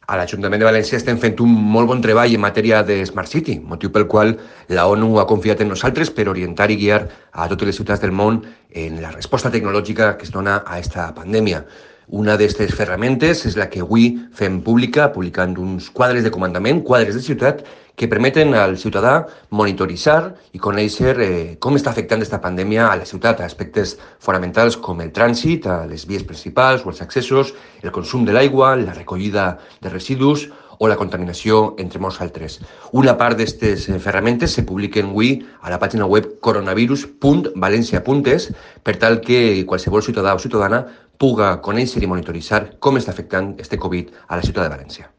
A l'Ajuntament de València estem fent un molt bon treball en matèria de Smart City, motiu pel qual la ONU ha confiat en nosaltres per orientar i guiar a totes les ciutats del món en la resposta tecnològica que es dona a aquesta pandèmia. Una d'aquestes ferramentes és la que avui fem pública, publicant uns quadres de comandament, quadres de ciutat, que permeten al ciutadà monitoritzar i conèixer com està afectant aquesta pandèmia a la ciutat, a aspectes fonamentals com el trànsit, a les vies principals o els accessos, el consum de l'aigua, la recollida de residus o la contaminació, entre molts altres. Una part d'aquestes ferramentes se publiquen avui a la pàgina web coronavirus.valencia.es per tal que qualsevol ciutadà o ciutadana puga conèixer i monitoritzar com està afectant este Covid a la ciutat de València.